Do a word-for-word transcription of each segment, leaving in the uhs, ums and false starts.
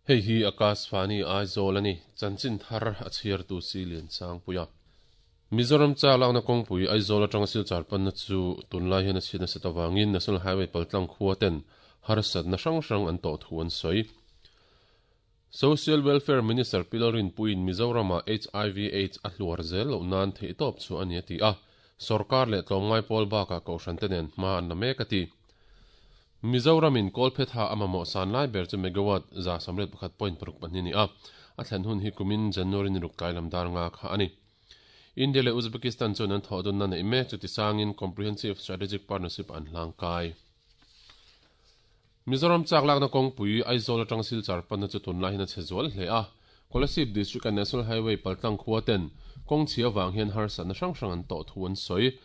Hei hi Akashvani Aizawl ani chanchin thar a chhiar tu si lian sang puia. Mizoram cha lakna kawngpui Aizawl atanga Silchar panna chu tunlai hian a chhiatna set awangin National Highway paltlang khua ten harsatna hrang hrang an tawh thu an sawi. Social Welfare Minister Pilarin Puin Mizorama H I V AIDS a hluar zel lo nan thei tawp chu ani ati a. Sarkar leh tlawmngai pawl baka kohhran te nen hma an la mek ati. Mizoramin Kolphetha amamo san lai ber chu megawatt za samret pakhat point paruk pahnih ni a. A thlen hun hi kumin January ni ruk tlai lam dar nga kha ani. India le Uzbekistan chuan an thawh dawn na nei mek chu tisangin Comprehensive Strategic Partnership an hlang kai. Mizoram chak lakna kawngpui Aizawl atang Silchar panna chu tunlai hian a chhe zual hle a. Kolasib District and National Highway paltlang khua ten kawng chhia wang hian harsatna hrang hrang an tawh thu an sawi.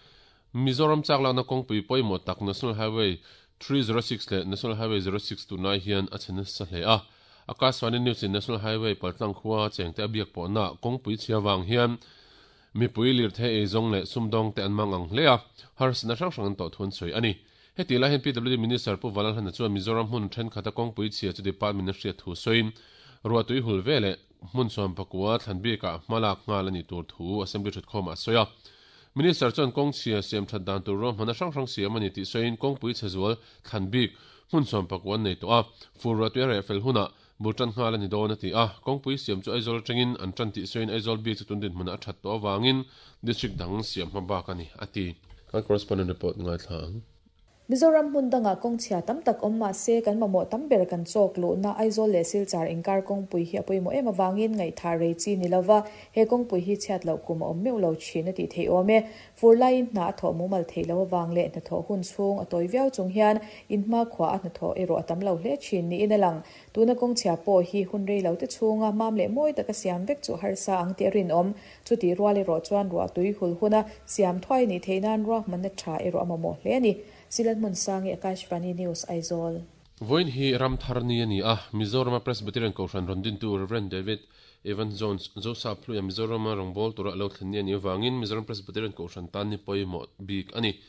Mizoram chak lakna kawngpui pawimawh tak National Highway three zero six le National Highway zero six tunlai hian a chhe nasa hle a. Akashvani News in National Highway paltlang khua chengte a biak pawhna kawngpui chhia wang hian mipui lir the ei zawng leh sumdawng te an mang ang hle a. Harsatna hrang hrang an tawh thu an sawi ani. Heti lai hian P W D Minister Pu Valalhana chuan Mizoram hmun thenkhat a kawngpui chhia chu department a hriat thu sawiin ruahtui hul vele hmun chuan pakua thlanbika hmalak nghal ani tur thu assembly thatkhawm a sawi a. Minister chuan kawng chhia siam that dan tur ro hmana hrang hrang siam ani tih sawiin kawngpui chhe zual thlanbik hmun chuan pakua an nei tawh a. Fur ruahtui a reh fel huna bultan nghal ani dawn ati a. Kawngpui siam chu Aizawl atangin an tan tih sawiin Aizawl bik chu tundin hmuna a that tawh awangin district dang siam hma bak ani ati. Kan correspondent report ngai thla ang. Mizoram hmun danga kawngchhia tam tak awm mah se kan mamawh tam ber kan chawk luhna Aizawl leh Silchar inkar kawngpui hi a pawimawh em awangin ngaihtha rei chi ni lova he kawngpui hi chhiat loh kum a awm meuh lo thin a tih thei awm e. Fur laiin hna a thawh mumal thei lo awang leh hna thawh hun chhung a tawi viau chung hian in hma khua a hna thawh erawh a tam lo hle thin niin a lang. Tuna kawngchhia pawh hi hun rei lo te chhunga mam leh mawi taka siam vek chu harsa ang te rin awm. Chuti rual erawh chuan ruahtui hul huna siam thuai ni theinan ruahmanna tha erawh a mamawh hle ani. Silan mun sangi Akashvani News Aizawl. Voin hi Ramthar ni ani a. Mizoram Presbyterian Kohhran rondin tu Reverend David Evan Jones Joseph Hluia Mizoram rongbol tura lo thlen ni ani wangin Mizoram Presbyterian Kohhran tan ni pawimawh bik ani.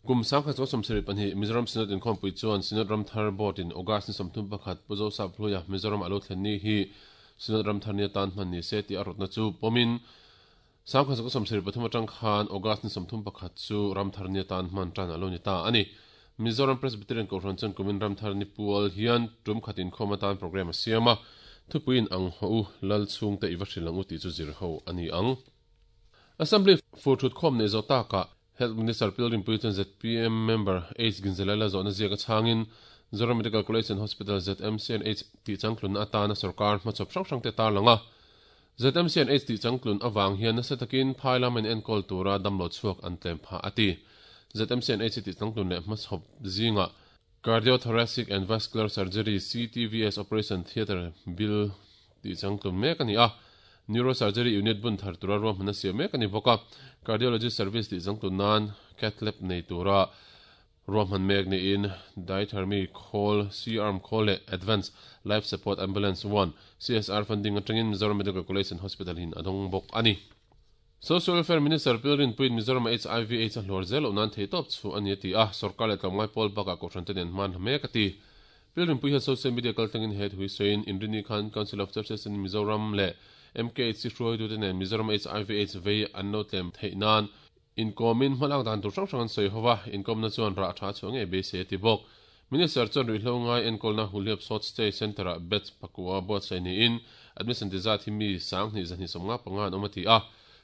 Kum sangkhat chaw sawmsarih pahnih Mizoram Synod inkhawmpui chuan Synod Ramthar Board in August ni sawmthum pakhat Pu Joseph Hluia Mizoram alo thlen ni hi Synod Ramthar ni atan hman ni se tih a rawtna chu pawmin sangkhat chaw sawmsarih pathum atang khan August ni sawmthum pakhat chu Ramthar ni atan hman tan alo ni ta ani. Mizoram Presbyterian Kohhran chuan kumin Ramthar ni pual hian tum khatin khawm atan program a siam a. Thupuiin ang ho u lal chhung te iwa hrilang u tih chu zir ho ani ang. Assembly fur thut khawm nei zo taka Health Minister Pilgrim Pui chuan Z P M member H Ginzelala zawhna ziak a chhangin Zoram Medical College and Hospital Z M C and H tih changtlun atana sarkar hmachawp hrang hrang te tar langa. Z M C and H tih changtlun awang hian nasa takin phai lam in enkawl tura damlo chhuak an tlem pha ati. Z M C and H tih changtlun leh hmachawp zinga Cardiothoracic and Vascular Surgery C T V S Operation Theatre Bill tih changtlun mek ani a. Neurosurgery Unit bun thar tura ruahmanna siam mek ani bawk a. Cardiology Service tih changtlun nan cath lab nei tura ruahman mek niin diathermy khawl, C-arm khawl leh Advanced Life Support Ambulance one C S R funding atangin Mizoram Medical College and Hospital hin adawng bawk ani. Social Welfare Minister Pilrin Puin Mizoram H I V AIDS a hluar zel loh nan thei tawp chu ani ati a. Sarkar leh tlawmngai pawl bakah kohhran te nen hman mek ati. Pilrin Pui hian social media kaltlangin he thui sawiin Inrini Khan Council of Churches in Mizoram leh M K H C hruaitu te nen Mizoram H I V AIDS vei an lo tlem theih nan inkomin hmalak dan tur hrang hrang an sawi hova inkomna chuan rah tha chu ngei beisei ati bawk. Minister chuan ruihhlo ngai enkawlna Huliap Short Stay Center ah beds pakua buatsaih niin admission tizat hi mi sanghnih zahnih sawmnga panga an awm ati a.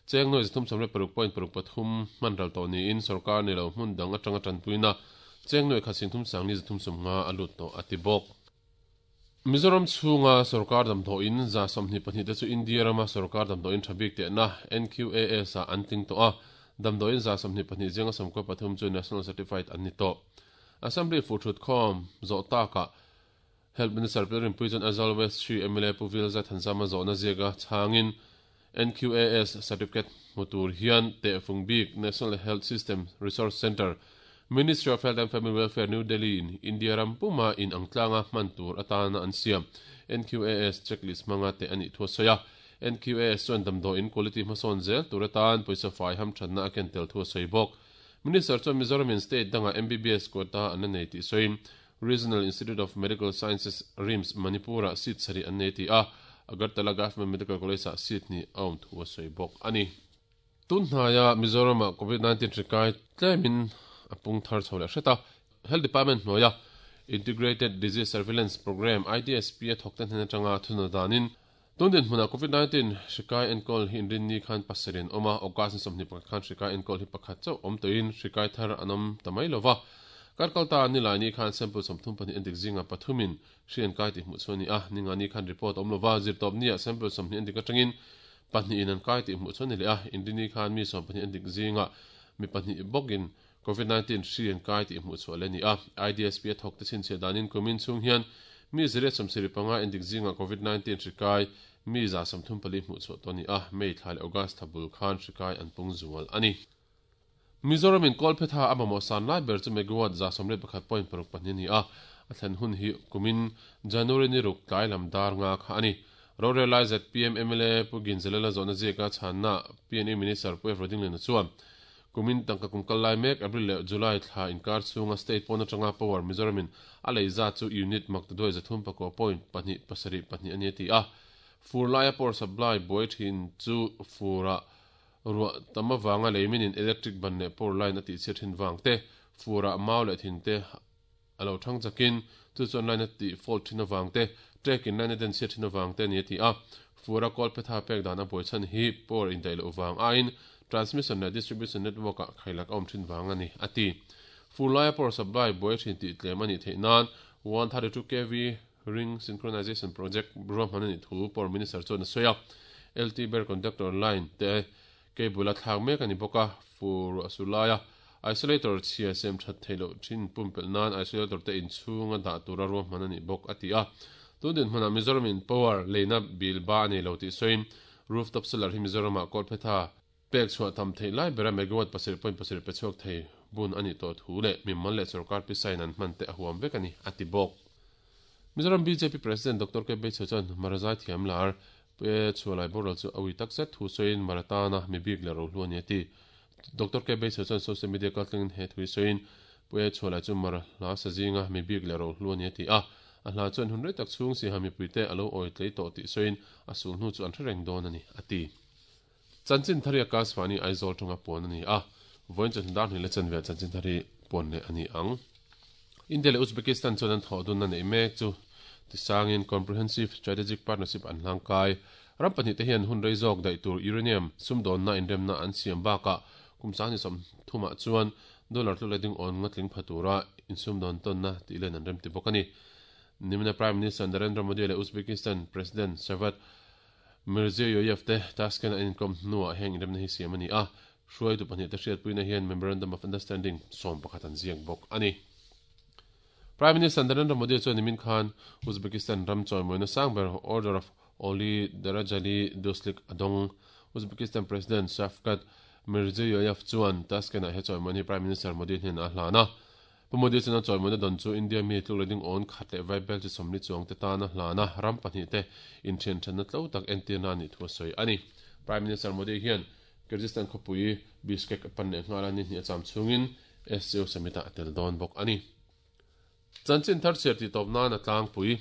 Cheng noi zathum sawmriat paruk point paruk pathum hman ral tawh niin sarkar ni lo hmun dang atanga tanpuina cheng noi khat singthum sangni zathum sawmnga a lut tawh ati bawk. Mizoram chhunga sarkar damdawiin za sawmhnih pahnih te chu India rama sarkar damdawiin thabik tehna N Q A S a an tling tawh a. Damdawiin za sawmhnih pahnih zinga sawmkua pathum chu National Certified an ni tawh. Assembly fur thut khawm zawh takah Health Minister Pilrin Pui chuan Aizawl West three M L A Pu Vilza Thanzama zawhna ziaka chhangin N Q A S certificate hmu tur hian tehfung bik National Health System Resource Centre Ministry of Health and Family Welfare New Delhi in India ram puma in angtlanga hman tur atana an siam N Q A S checklist hmanga te ani thu sawi a. N Q A S chuan damdawiin quality hmasawn zel tur atan pawisa fai ham thatna a ken tel thu a sawi bawk. Minister chuan Mizoram in state danga M B B S quota an la nei tih sawiin Regional Institute of Medical Sciences RIMS Manipura seat sari an nei ti a Agartala Government Medical College a seat ni awm thu a sawi bawk ani. Tun hnaiah Mizoram ah covid nineteen hrikai tlemin a pung thar chho leh hret a. Health Department hnuaia Integrated Disease Surveillance Programme I D S P a thawk te hnen atanga thuna danin tun din hmunah covid nineteen hrikai enkawl hi inrinni khan pasarih an awm a, August ni sawmhnih pakhat khan hrikai enkawl hi pakhat chauh awm tawhin hrikai thar an awm ta mai lova. Karkalta ni lai ni khan sample sawmthum pahnih endik zinga pathumin hri an kai tih hmuh chu a ni a, ninga ni khan report awm lova zirtawp nia sample sawmhnih endik atangin pahnih in an kai tih hmuh chu a ni leh a, inrinni khan mi sawm pahnih endik zinga mi pahnih bawkin covid nineteen hri an kai tih hmuh chu a le ni a. I D S P a thawk te chhinchhiah danin kumin chhung hian mi ziriat sawmsarih panga endik zinga covid nineteen hri kai mi za sawmthum pali hmuh chu to ni a, May thla leh August thla bul khan hri kai an pung zual ani. Mizoram in Kolphetha a mamawh san lai ber chu megawatt za sawmriat pakhat point paruk pahnih ni a, a thlen hun hi kumin January ni ruk tlai lam dar nga kha ani. Rorel lai Z P M M L A Pu Ginzalela zawhna ziaka chhanna P N E Minister Pu F Rodinglena chuan kumin tangka kum kal lai mek April leh July thla inkar chhunga state pawn atanga power Mizoram in a lei za chu unit maktaduai zathum pakua point pahnih pasarih pahnih ani a ti a. Fur laia power supply buai thin chu fura ruah tam awanga leimin in electric ban leh power line a tih chhiat thin vang te, fura mau leh thin te a lo thang chakin chu chuan line a tih fault thin awang te, trek in line a den chhiat thin awang te ani a ti a. Fura Kolphetha pek dan a buai chhan hi power in daih loh vang aiin transmission leh distribution network ah khailak a awm thin vang ani a ti. Fur laia power supply buai thin tih tlem ani theih nan one thirty two K V ring synchronization project ruahman ani thu power minister chuan a sawi a. L T ber conductor line te cable a thlak mek ani bawk a, fur a su laia isolator chhia sem that theih loh thin pumpelh nan isolator te inchhung a dah tura ruahman ani bawk a ti a. Tun din hmunah Mizoram in power leina bil ba ani lo tih sawiin rooftop solar hi Mizoram ah Kolphetha pek chhuah tam theih lai bera megawatt pasarih point pasarih pe chhuak thei bun ani tawh thu leh mimal leh sorkar pisain an hman te a huam vek ani a ti bawk. Mizoram B J P President Doctor K Beichhe chuan Marazai thiam lar pe chhualai boral chu awi tak zet thu sawiin Maratana mi bik le ro hlu ani a ti. Doctor K Beichhe chuan social media kaltlangin he thui sawiin pe chhualai chu Mara hla sazinga mi bik le ro hlu ani a ti a. A hla chuan hun rei tak chhung si ha mi puite a lo awi tlei tawh tih sawiin a sul hnu chu an hre reng dawn ani a ti. Chanchin thari Akashvani Aizawl tanga pawn ani a, vawiin chuan dar hnih le chanve chanchin thari pawn leh ani ang. India leh Uzbekistan chuan an thawh dun na nei mek chu tisangin Comprehensive Strategic Partnership an hlang kai. Ram pahnih te hian hun rei zawk daih tur uranium sumdawnna inremna an siam bakah kum sang ni sawm thumah chuan dollar tlu le ding awn nga tling pha tura insumdawn tawnna tih len an rem ti bawk ani. Nimina Prime Minister Narendra Modi leh Uzbekistan President Shavkat Mirziyoyev te Tashkent an inkom hnuah heng inremna hi siam ani a. Hruai tu pahnih te hriatpuina hian Memorandum of Understanding sawm pakhat an ziak bawk ani. Prime Minister Narendra Modi chuan nimin khan Uzbekistan ram chawimawina sangber Order of Oli Darajali Duslik adong. Uzbekistan President Shavkat Mirziyoyev chuan Tashkent ah he chawimawina hi Prime Minister Modi hnen a hlan a. Pu Modi chuan a chawimawina don chu India mi tluk le ding awn khat leh vaibel chi sawmli chuang te tana hlan a, ram pahnih te inthian thanna tlo tak entirna ani thu a sawi ani. Prime Minister Modi hian Kyrgyzstan khawpui Bishkek a pan leh nghal a ni hnih a cham chhungin S C O summit ah a tel dawn bawk ani. Chanchin thar chhiar tih tawp nan a tlangpui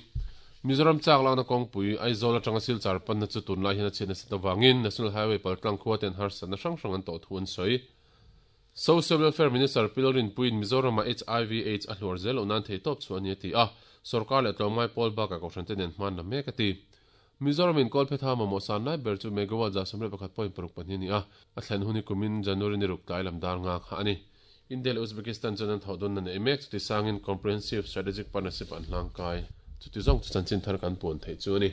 Mizoram chak lakna kawngpui Aizawl atanga Silchar panna chu tunlai hian a chhiatna set awangin National Highway paltlang khua ten harsatna hrang hrang an tawh thu an sawi. Social Welfare Minister Pilorin Puin Mizoram ah H I V AIDS a hluar zel loh nan thei tawp chu ani a ti a, sorkar leh tlawmngai pawl bakah kohhran te nen hman la mek a ti. Mizoram in Kolphetha mamawh san lai ber chu megawatt za sawmriat pakhat point paruk pahnih ani a, a thlen hun hi kumin January ni ruk tlai lam dar nga kha ani. India leh Uzbekistan chuan an thawh dawn na nei mek chuti sangin Comprehensive Strategic Partnership an hlang kai. Chuti zawng chu chanchin thar kan pawn theih chu ani.